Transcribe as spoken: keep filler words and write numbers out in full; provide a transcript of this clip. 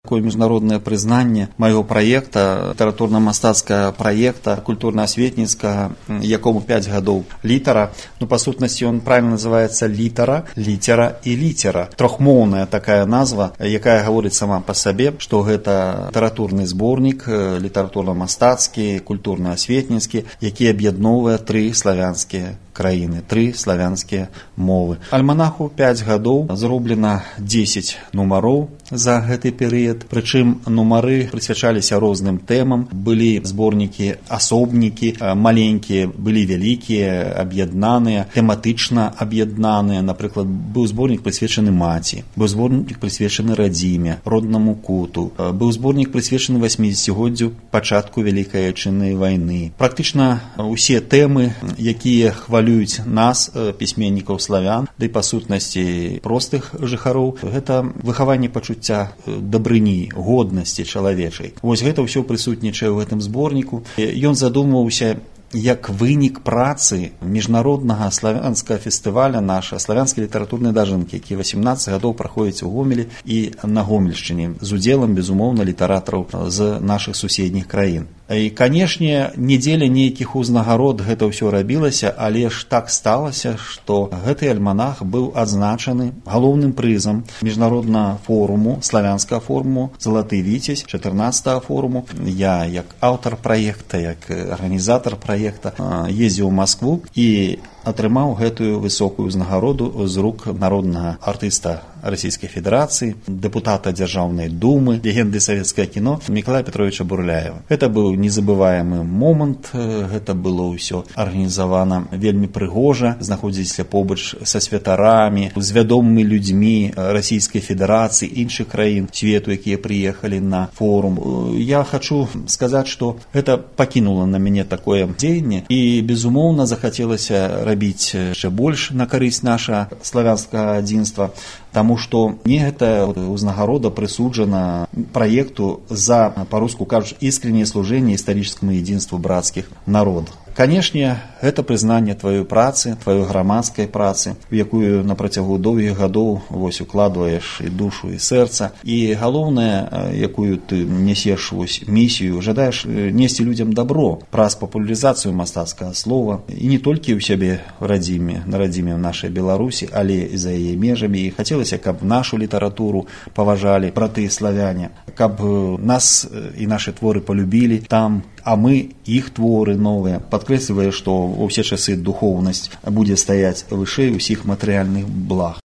такое международное признание моего проекта, литературно-мастацкага проекта, культурно-осветницкага, якому пять годов литера. Ну, по сутности, он правильно называется литера, литера и литера. Трохмоўная такая назва, якая говорит сама по себе, что это литературный сборник, литературно-мастацкі, культурно-осветницкі, які аб'ядноўвае тры славянскія краіны, тры славянскія мовы. Альманаху пять гадоў, зроблена дзесяць нумароў за гэты перыяд, прычым нумары прысвячаліся розным тэмам, былі зборнікі асобнікі, маленькія, былі вялікія, аб'яднаныя, тэматычна аб'яднаныя. Напрыклад, быў зборнік прысвечаны маці, быў зборнік прысвечаны радзіме, роднаму куту, быў зборнік прысвечаны васьмідзесяцігоддзю пачатку Вялікай Айчыннай вайны. Практычна усе тэмы, якія хвалююць нас, пісьменнікаў славян, ды па сутнасці простых жыхароў, гэта выхаванне пачуцця дабрыні, годнасці чалавечай. Вось гэта ўсё прысутнічае ў гэтым зборніку. Ён задумваўся як вынік працы міжнароднага славянскага фестываля наша славянскай літаратурнай дажынкі, які васемнаццаць гадоў праходзіць у Гомелі і на Гомельшчыне з удзелам, безумоўна, літаратараў з нашых суседніх краін. І, канешне, не дзеля нейкіх узнагарод гэта ўсё рабілася, але ж так сталася, што гэты альманах быў адзначаны галоўным прызам міжнароднага форуму, славянскага форуму «Залаты віцязь» чатырнаццатага форуму. Я, як аўтар праекта, як арганізатар праекта, ездзіў у Маскву і атрымаў гэтую высокую ўзнагароду з рук народнага артыста Расійскай Федэрацыі, дэпутата Дзяржаўнай думы, легенды савецкага кіно Мікалая Петровича Бурляева. Гэта быў незабываемы момант, гэта было ўсё арганізавана вельмі прыгожа, знаходзіліся побач са святарамі, з вядомымі людзьмі Расійскай Федэрацыі, іншых краін свету, якія прыехалі на форум. Я хачу сказаць, што гэта пакінула на мяне такое дзеянне і, безумоўна, захацелася рабіць яшчэ больш на карысць наша славянскага адзінства, таму што мне гэта ўзнагарода прысуджана праекту за, па-руску кажуць, искреннее служение историческому единству братских народов. Канешне, гэта прызнанне тваёй працы, тваёй грамадскай працы, у якую на працягу доўгіх гадоў вось укладваеш і душу, і сэрца. І галоўнае, якую ты несеш вось місію, жадаеш несці людзям добро праз папулярызацыю мастацкага слова, і не толькі ў сябе в радзіме, на радзіме ў нашай Беларусі, але і за яе межамі. І хацелася, каб нашу літаратуру паважалі браты славяне, каб нас і нашы творы полюбілі там, а мы іх творы новыя, падкрэслівае, што ва ўсе часы духоўнасць будзе стаяць вышэй усіх матэрыяльных благ.